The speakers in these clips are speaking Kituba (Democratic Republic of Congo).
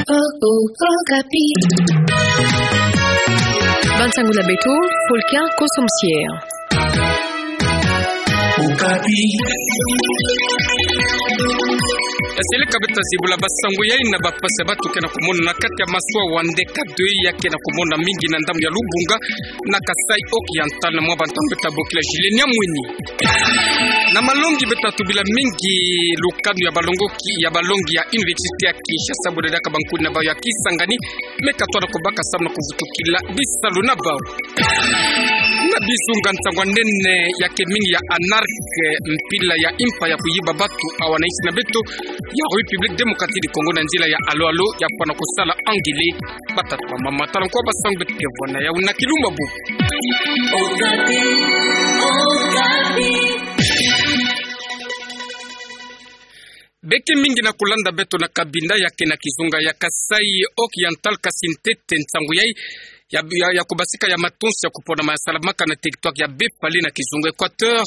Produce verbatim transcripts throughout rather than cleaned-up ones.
Okapi. Ba nsangu na beto, Fulkia Kosomsier. Okapi. Yaseleka beto ta zibula ba nsangu yai na ba mpasi ya bato ke na kumona na kati ya Maswa wa ndeka deux ya ke na kumona mingi na ndambu ya Lubunga na Kasaï Oriental. Na mwa ba ntangu beto ta bokila Julien Nyamwini. Na malongi beto ta tubila mingi lukanu ya balongoki, ya balongi ya Université ya Kinshasa, bo dedaka bankuni na bawu ya Kisangani, me katona kobaka samu na kuvutukila bisalu na bawu. Na bizunga, ntangwa nene ya ke mingi ya anarque, mpila ya impa ya kuyiba bato, awa na insi na beto ya République Démocratique du Congo na nzila ya alo-alo ya fwana kosala angele. Batata, bamama, tala nkwa ba nsangu beto ke vwa na yawu na kilumbu bu. Okapi, Okapi. Beke mingi na kulanda beto na kabinda ya ke na kizunga ya Kasaï Oriental, kasi ntete nsangu yai ya, ya, ya kubasika ya matonsi ya kuponama ya salamaka na territoire ya Bepale na kizunga Équateur,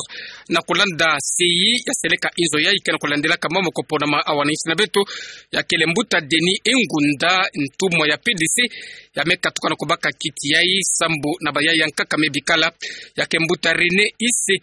na kulanda C I, yaseleka inzo yai ke na kulandelaka mama kuponama awa na insi na beto, ya kele mbuta Denis Engunda, ntumwa ya P D C, ya me katuka na kubaka kiti yai sambu na bayaya nkaka me bikala, ya ke mbuta René Ise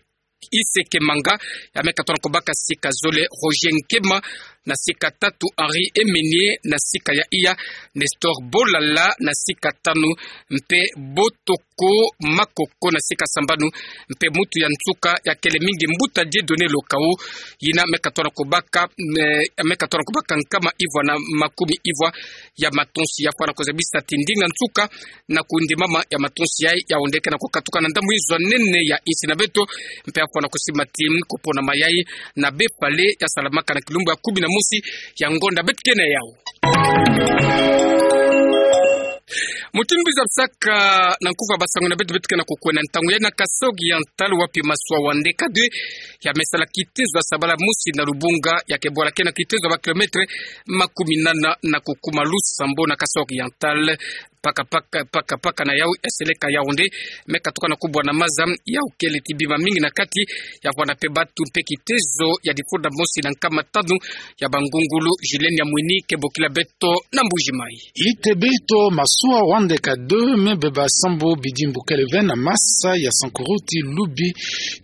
Ise Kemanga, ya me katona kobaka sika zole Roger Nkema, na sika tatu Henri Emenie, na sika ya iya Nestor Bolala, na sika tanu mpe Botoko Makoko, na sika sambanu mpe mutu ya nsuka ya kele mingi mbuta Dieudonné Lokau, yina me katona kobaka, me, me katona kobaka nkama ivwa na makumi ivwa ya matonsi. Ya fwana kozabisa ti ndinga nsuka na kundimama ya matonsi yai, yaonde ke na kukatuka na ndambu inzo nene ya insi na beto, mpe ya fwana kusimba ti kuponama yai na Bepale ya salamaka na kilumbu ya kumi na mosi ya ngonda beto ke na yawu. Mutindu mbi zabisaka na nkufa ba nsangu na beto, beto ke na kukwenda ntangu yai na Kasaï Oriental, wapi Maswa wa ndeka deux ya me sala kitezo ya sabala mosi na Lubunga, ya ke bwala ke na kitezo ya ba kilomètre makumi nana na kukuma lusambo na Kasaï Oriental. Paka, paka, paka, paka na yawu, yaseleka Yaoundé, me katuka na kubwa na maza, yawu kele ti bima mingi na kati, ya fwana mpe bato mpe kitezo ya difunda mosi na nkama tanu ya bangungulu. Julien Nyamwini ke bokila beto na Mbuji-Mayi. Itebe to Maswa wa ndeka deux me beba sambu bidimbu kele ve na masa ya Sankuruti Lubi,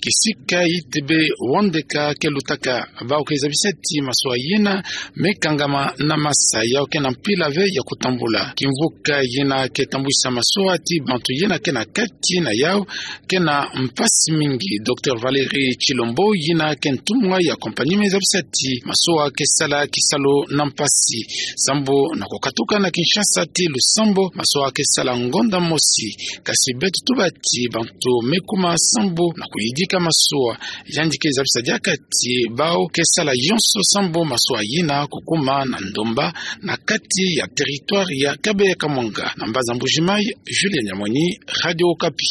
kisika Itebe wa ndeka ke lutaka. Bawu ke zabisa ti maswa yina me kangama na masa, yawu ke na mpila ve ya kutambula. Kimvuka yina ke tambwisa maswa ti bantu yina ke na kati na yawu ke na mpasi mingi. Docteur Valérie Tshilombo, yina ke ntumwa ya compagnie, me zabisa ti maswa ke sala kisalu na mpasi sambu na kukatuka na Kinshasa ti lusambo, maswa ke sala ngonda mosi. Kasi beto tuba ti bantu me kuma sambu na kuyidika maswa. Yandi ke zabisa diaka ti bawu ke sala yonso sambu maswa yina kukuma na ndomba na kati ya territoire ya Kabeya Kamwanga. Na mbanza Mbuji-Mayi, Julien Nyamwini, Radio Okapi.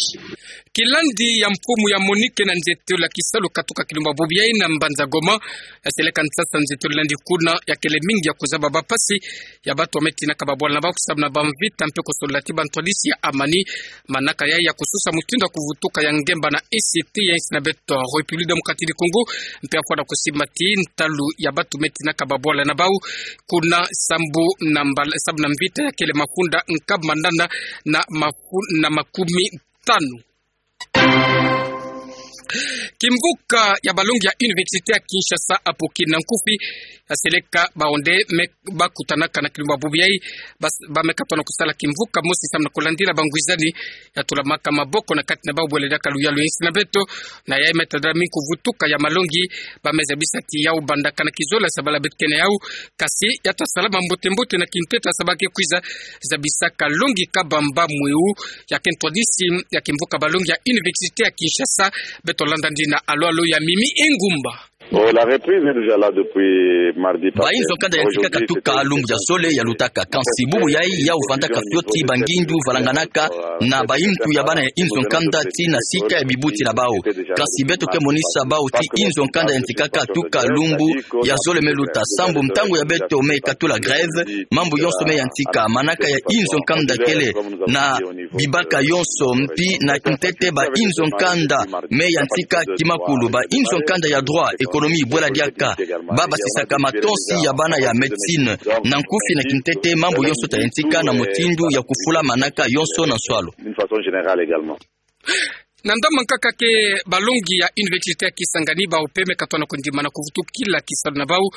Kilandi ya mfumu ya MONUC na nzietolo ya kisalu katuka kilumbu bubu yai na mbanza Goma, yaseleka nsasa nzietolo landi kuna, ya kele mingi ya kuzaba ba mpasi ya bato ya me tinaka babwala na bawu kusamu na bamvita mpe kusolola ti bantwadisi ya amani. Manaka yai ya kususa mutindu ya kuvutuka ya ngemba na E C T ya insi na beto République Démocratique du Congo, mpe ya fwana kusimba ti ntalu ya bato me tinaka babwala na bawu kuna sambu na mbal-, sambu na mvita ya kele mafunda nkama nana na mafu-, na makumi tanu. Kimvuka ya balongi ya Université ya Kinshasa, apo kina nkufi, yaseleka bawu nde me bakutanaka na kilumbu bubu yai, bas-, ba me katona kusala kimvuka mosi samu na kulandila bangwizani ya tulamaka maboko na kati na bawu bwele diaka luyalu ya insi na beto. Na yai me tadila mingi kuvutuka ya malongi, ba me zabisa ti yawu bandaka na kizole ya sabala beto ke na yawu, kasi ya ta salama mbote-mbote na kintete ya saba ke kwiza, zabisaka longi kabamba mweu ya ke ntwadisi ya kimvuka balongi ya Université ya Kinshasa. Beto landa ndi na alo-alo ya Mimi Engumba. Bon, la reprise est déjà là depuis mardi passé. Ba inzo nkanda ya ntika katuka lumbu ya zole ya lutaka. Kansi bubu yai yawu vandaka fioti bangindu valanganaka na bayintu ya bana ya inzo nkanda ti na sika ya bibuti na bawu. Kansi beto ke monisa bawu ti inzo nkanda ya ntika katuka lumbu ya zole me luta sambu ntangu ya beto me katula grève, mambu yonso me yantika. Manaka ya inzo nkanda kele na bibaka yonso mpi na ntete ba inzo nkanda me yantika kimakulu. Ba inzo nkanda ya droit économique économie, bwela diaka ba basisaka matonsi ya bana ya médecine. Na nkufi na kintete, mambu yonso ta yantika na mutindu ya kufula manaka yonso na nswalu. Na ndambu nkaka ke balongi ya Université ya Kisangani, bau mpe me katona kondimana kuvutukila kisalu na bau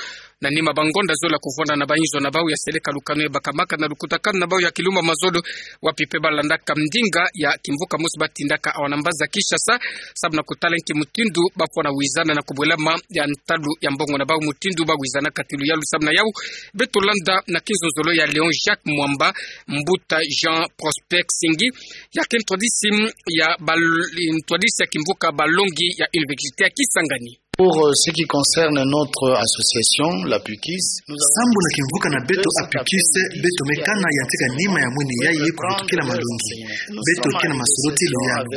na nima ba ngonda zole ya kuvwanda na bainzo na bau ya seleka lukanu ya bakamaka na lukutakanu na bau ya kilumbu ya mazono, wapi mpe balandaka ndinga ya kimvuka mosi batindaka awa na mbanza Kinshasa, sababu na kutala nki mutindu bafwana wizana na kubwelama ya ntalu ya mbongo na bau mutindu bawizanaka ti luyalu. Sababu na yau, beto landa na kinzonzolo ya Léon Jacques Mwamba, mbuta Jean Prosper Kisingi, ya ke ntwadisi ya bal-, ntwadisi ya kimvuka balongi ya Université ya Kisangani. Pour, euh, ce qui concerne notre association, la PUKIS, sambu na kimvuka na beto APUKIS, beto me kana yantika nima ya mwini yayi kuvutukila malongi. Beto ke na masolo ti luyalu.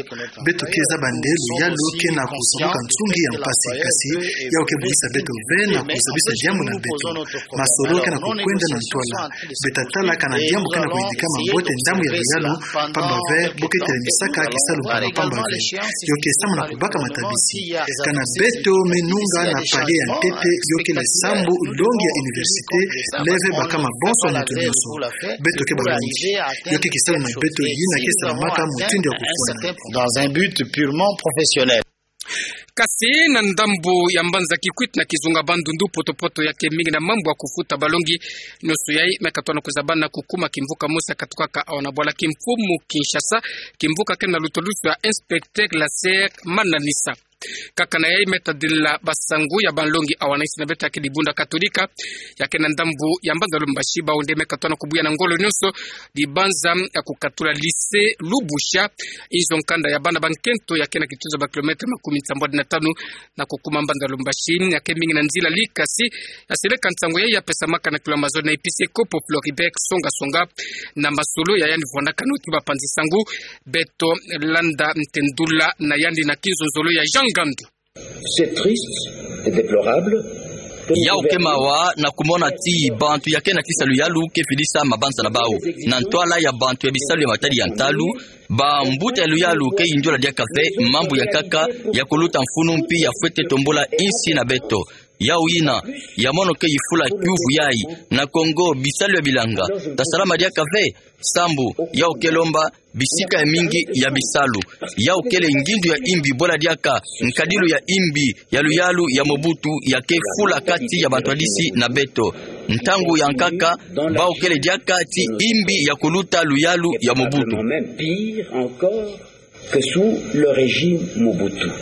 Beto ke zaba nde luyalu ke na kusamuka nsungi ya mpasi, kasi yau ke bukisa beto ve na kuzabisa diambu na beto. Masolo ke na kukwenda na ntwala. Beta tala kana diambu ke na kuyidikama mbote ndambu ya luyalu, pamba ve bu ke telemisaka kisalu mpamba pamba ve. Yo ke sambu na kubaka matabisi. Kana beto me nunga na palier ya ntete, yo kele sambu longi ya université, leve bakama bonso na nitu nyonso. Beto ke balongi. Yo ke kisalu na beto yina ke salamaka mutindu ya kufwana. Dans un but purement professionnel. Kasi na ndambu ya mbanza Kikwit na kizunga Bandundu, poto-poto ya ke mingi na mambu ya kufuta balongi nyonso yayi me katona kuzabana kukuma kimvuka mosi ya katukaka awa na bwala kimfumu Kinshasa, kimvuka ke na lutulusu ya inspecteur Laser Mananisa. Kaka na yayi me tadila basangu ya balongi awa na insi na beto ya ke Dibunda Katolika, ya ke na ndambu ya mbanza Lumbashi, bau nde me katona kubuya na ngolo nyonso dibanza ya kukatula lycée Lubusha, inzo nkanda ya bana ba nkento ya ke na kituza ba kilomètre makumi nsambwadi na tanu na kukuma mbanza Lumbashi. Ya ke mingi na nzila likasi ya seleka nsangu yayi ya pesamaka na kilumbu ya mazono na episikopo Floribert Songa Songa, na masolo ya yandi vwandaka na wuti bapanzi sangu. Beto landa ntendula na yandi na kinzonzolo ya Jean Ngandu. C'est triste et déplorable. Yau ke mawa na kumona ti bantu ya ke na kisa luyalu ke fidisa mabanza na bau na ntwala ya bantu ya bisalu ya matadi ya ntalu. Bambuta ya luyalu ke yindiola diaka ve mambu ya nkaka ya kuluta mfunu mpi ya fwete tombula insi na beto. Yau yina ya mono ke yifula kiuvu yayi: na Kongo, bisalu ya bilanga ta salama diaka ve? Sambu yau ke lomba bisika ya mingi ya bisalu. Yau kele ngindu ya imbi, bwela diaka nkadilu ya imbi ya luyalu ya Mobutu ya ke fula kati ya bantwadisi na beto. Ntangu ya nkaka, bau kele diaka ti imbi ya kuluta luyalu ya Mobutu. Même pire encore que sous le régime Mobutu.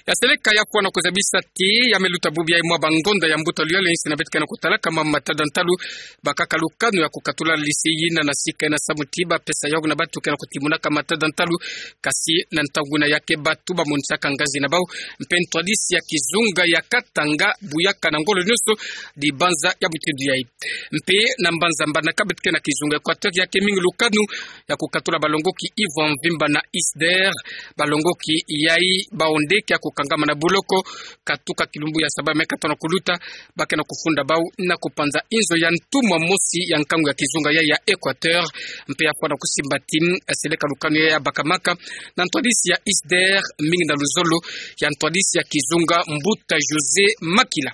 Ya seleka ya fwana kuzabisa ti ya me luta bubu yayi mwa bangonda ya mbuta luyalu ya insi na beto ke na kutalaka mambu matada ntalu, bakaka lukanu ya kukatula lycée yina na sika yina samu ti bapesa yau na bantu ke na kutimunaka matada ntalu. Kasi na ntangu yina ya ke bantu bamonisaka ngazi na bau mpe ntwadisi ya kizunga ya Katanga buyaka na ngolo nyonso dibanza ya mutindu yayi. Mpe na mbanza Mbandaka, beto ke na kizunga Équateur, ya ke mingi lukanu ya kukatula balongoki yivwa mvimba na ISDER. Balongoki yayi bau nde ke ya kukangama na boloko katuka kilumbu ya saba me katona kuluta. Ba ke na kufunda bau na kupanza inzo ya ntumwa mosi ya nkangu ya kizunga yayi ya Équateur. Mpe ya fwana kusimba ti ya seleka lukanu yayi ya bakamaka na ntwadisi ya ISDER, mingi na luzolo ya ntwadisi ya kizunga mbuta José Makila.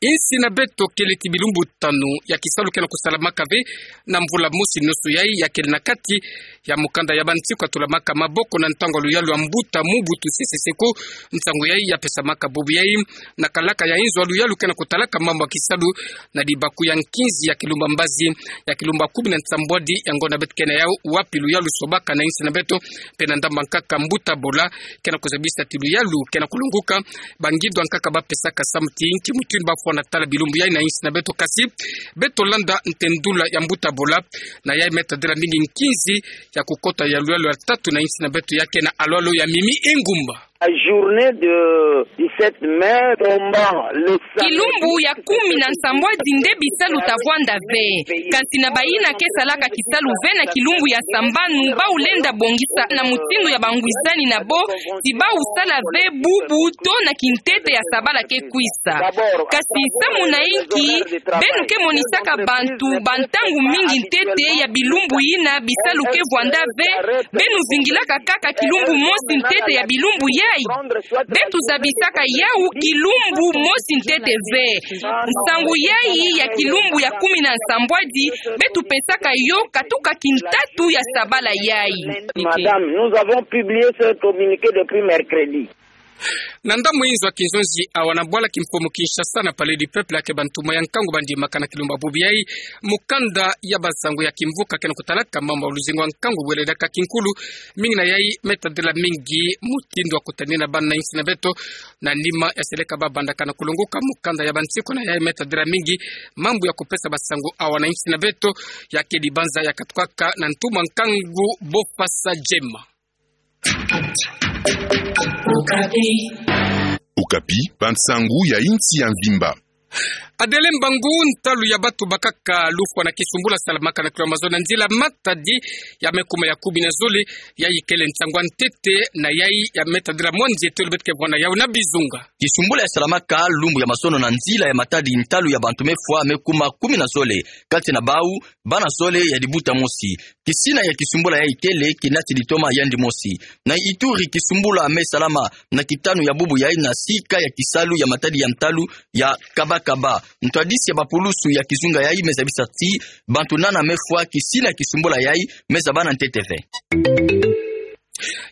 Insi na beto kele ti bilumbu tanu ya kisalu ke na kusalamaka ve na mvula mosi nusu yayi, ya kele na kati ya mukanda ya bansi kukatulamaka maboko na ntangu ya luyalu ya mbuta Mobutu Sese Seko. Nsangu yayi ya pesamaka bubu yayi na kalaka ya inzo ya luyalu ke na kutalaka mambu ya kisalu na libaku ya nkinzi ya kilumbu ya mbazi ya kilumbu ya kumi na nsambwadi ya ngonda beto ke na yau, wapi luyalu sobaka na insi na beto. Mpe na ndambu ya nkaka mbuta Bola ke na kuzabisa ti luyalu ke na kulonguka. Bangindu ya nkaka bapesaka samu ti nki mutindu bafwana tala bilumbu yayi na insi na beto. Kasi beto landa ntendula ya mbuta Bola, na yayi me tadila mingi nkinzi ya kukota ya luyalu ya tatu na insi na beto, ya ke na alo-alo ya Mimi Engumba. La journée de dix-sept mai tomba le samedi. Kilumbu ya kumi na nsambwadi nde bisalu ta vwanda ve. Kasi na bayina ke salaka kisalu ve na kilumbu ya sambanu, bau lenda bongisa na mutindu ya bangwizani na bo ti bau sala ve bubu to na kintete ya sabala ke kwisa. Kasi samu na inki beno ke monisaka bantu bantangu mingi ntete ya bilumbu yina bisalu ke vwanda ve? Beno zingilaka kaka kilumbu mosi ntete ya bilumbu Yai, beto zabisaka yawu kilumbu mosi ntete ve. Nsangu yai ya kilumbu ya kumi na nsambwadi, beto pesaka yo katuka kintatu ya sabala yai. Madame, nous avons publié ce communiqué depuis mercredi. Na ndambu inzo ya kinzonzi awa na bwala kimfumu Kinshasa na Palais du Peuple, ya ke bantu moya nkangu bandi makana kilumbu ya bubu yai, mukanda ya bansangu ya kimvuka ke na kutalaka mambu ya luzingu ya nkangu wele daka kinkulu, mingi na yai me tadila mingi mutindu ya kutanina bana insi na beto, na nima ya seleka babandaka na kulunguka mukanda ya bansiku na yai me tadila mingi mambu ya kupesa bansangu awa na insi na beto, ya ke dibanza ya katukaka na ntumwa nkangu Bofasa Gemma. Okapi, bansangu ya insi ya mvimba. Adele Mbangu, ntalu ya batu bakaka lufwa na kisumbula salamaka na kilo mazono na nzila Matadi ya me kuma ya kumi na zole, yai kele nsangu ya ntete na yai ya me tadila mwa nzietolo beto ke vwanda yawu na bizunga. Kisumbula ya salamaka lumbu ya mazono na nzila ya Matadi, ntalu ya bantu me fwa me kuma kumi na zole, kati na bawu bana zole ya dibuta mosi. Kisina ya kisumbula yai kele kinati ditoma yandi mosi. Na Ituri, kisumbula me salama na kitanu ya bubu yai na sika ya kisalu ya Matadi ya ntalu ya Kabakaba. Ntwadisi ya bapulusu ya kizunga yai me zabisa ti bantu nana me fwa kisina ya kisumbula yai me zabana ntete ve.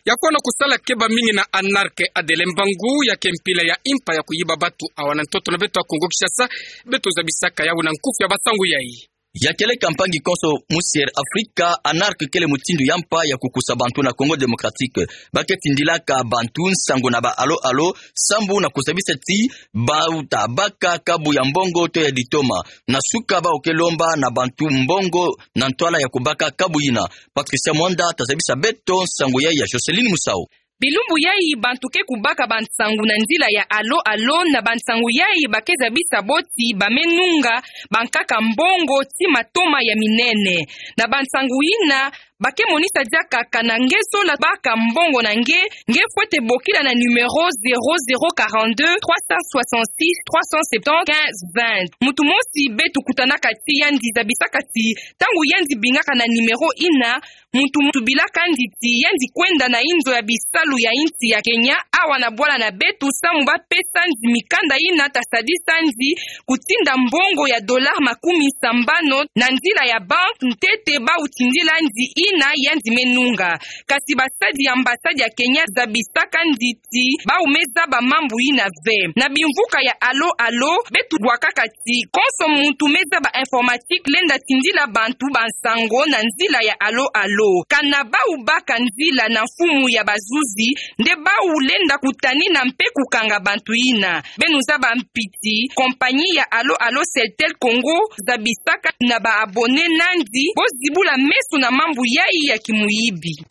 Ya fwana kusala keba mingi na anarke Adele Mbangu, ya ke mpila ya impa ya kuyiba batu awa na ntoto na beto ya Kongo Kinshasa, beto zabisaka yawu na nkufi ya bansangu yai. Ya keleka mpangi konso mu Sier Afrika, anarke kele mutindu ya mpa ya kukusa bantu na Congo Démocratique. Ba ke tindilaka bantu nsangu na ba alo alo, sambu na kuzabisa ti bawu ta baka kabu ya mbongo to ya ditoma. Na suka bawu ke lomba na bantu mbongo na ntwala ya kubaka kabu yina. Patricia Mwanda ta zabisa beto nsangu yai ya Joseline Musau. Bilumbu yai bantu ke kubaka bansangu na nzila ya alo alo, na bansangu yai ba ke zabisa bo ti ba me nunga bankaka mbongo ti matoma ya minene. Na bansangu yina, ba ke monisa diaka kana nge zola baka mbongo na nge, nge fwete bokila na numéro zéro zéro quarante-deux trois cent soixante-six trois cent septante quinze vingt. Muntu mosi beto kutanaka ti yandi zabisaka ti ntangu yandi bingaka na numéro yina, muntu, muntu bilaka yandi ti yandi kwenda na inzo ya bisalu ya insi ya Kenya, awa na bwala na beto, samu ba pesa yandi mikanda yina ta sadisa yandi kutinda mbongo ya dollar makumi sambanu na nzila ya banque ntete bawu tindila yandi yina yandi me nunga. Kasi basadi ya ambassade ya Kenya zabisaka yandi ti bawu me zaba mambu yina ve. Na bimvuka ya alo alo, beto bwakaka ti konso muntu me zaba informatique lenda tindila bantu bansangu na nzila ya alo alo. Kana bawu baka nzila na mfumu ya bazuzi, nde bawu lenda kutanina mpe kukanga bantu yina. Beno zaba mpi ti compagnie ya alo alo Celtel Congo zabisaka na ba abonnés na yandi bo zibula meso na mambu yai ya kimuyibi.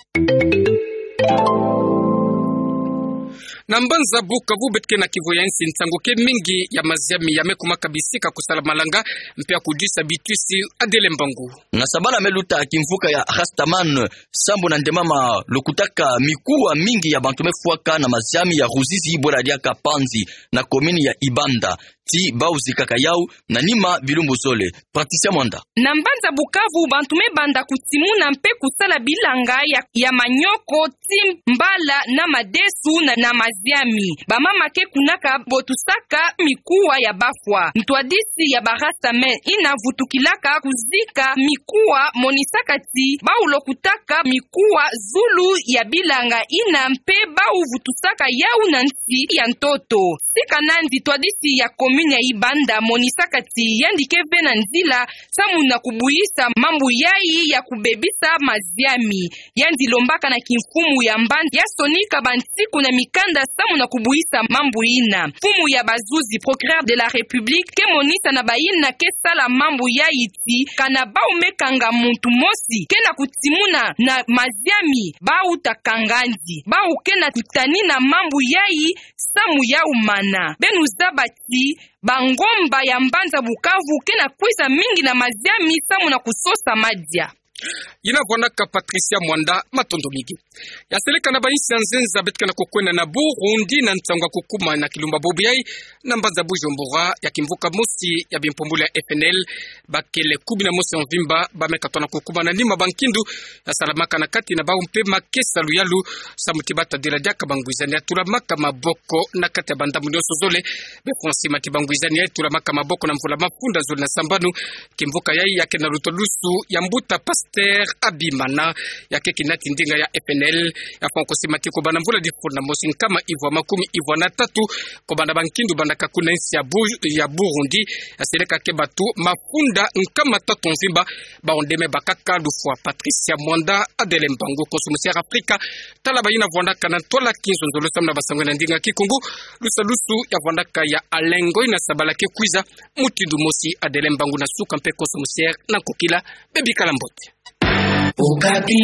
Na mbanza Bukavu, beto ke na kivu ya insi, nsangu ke mingi ya maziami ya me kumaka bisika kusala malanga mpe ya kudisa bitwisi. Adele Mbangu. Na sabala me luta, kimvuka ya Rastaman, sambu na ndemama, lukutaka mikuwa mingi ya bantu me fwaka na maziami ya Ruzizi, bwela diaka Panzi, na commune ya Ibanda. Ti bawu zikaka yawu na nima bilumbu zole. Patricia Mwanda. Na mbanza Bukavu, bantu me banda kutimuna mpe kusala bilanga ya, ya manioko ti mbala na madesu na, na maziami. Bamama ke kunaka botusaka mikuwa ya bafwa. Ntwadisi ya ba Rastaman yina vutukilaka kuzika mikuwa monisaka ti bawu lokutaka mikuwa zulu ya bilanga yina mpe bawu vutusaka yawu na nsi ya ntoto. Sika na yandi, ntwadisi ya commune ya Ibanda monisaka ti yandi ke ve na nzila samu na kubwisa mambu yai ya kubebisa maziami. Yandi lombaka na kimfumu ya mbanza ya sonika bansiku na mikanda samu na kubwisa mambu yina. Mfumu ya bazuzi, procureur de la République, ke monisa na bayina ke sala mambu yai ti kana bawu me kanga muntu mosi ke na kutimuna na maziami, bawu ta kanga yandi. Bawu ke na kutanina mambu yai samu ya umana. Beno zaba ti bangomba ya mbanza Bukavu ke na kwiza mingi na maziami samu na kusosa madia. Yina vwandaka Patricia Mwanda, matondo mingi. Ya seleka na bayinsi ya nzenza beto ke na kukwenda na Burundi na nsangu ya kukuma na kilumba bobo yayi na mbanza Bujumbura, ya kimvuka mosi ya bimpumbulu ya F N L, bakele kumi na mosi ya mvimba, bameka tona kukuma na nima bankindu ya salamaka na kati na bawu mpe makesa luyalu, samu ti bata dila diaka bangwizani ya tulamaka maboko na kati ya bandambu nyonso zole. Befo na sima ti bangwizani ya tulamaka maboko na mvula mafunda zole na sambanu, kimvuka yayi ya ke na lutwadusu ya mbuta Pasteur Habimana, ya ke kinati ndinga ya F N L. Ya fwa ko sima ti ko banda mvula difuna mosi nkama ivwa makumi ivwa na tatu, ko banda bankindu bandaka kuna insi ya Bu-, ya Burundi, ya seleka ke batu mafunda nkama tatu mvimba, bawu nde me bakaka. Lufwa Patricia Mwanda Adele Mbangu, konso musi ya Afrika, tala bayina vwandaka na ntwala kinzonzolo samu na basango na ndinga Kikongo. Lusalusu ya vwandaka ya Alengo ina sabala ke kwiza mutindu mosi. Adele Mbangu na suka mpe konso musi na nkokila, bebikala mbote. Okapi.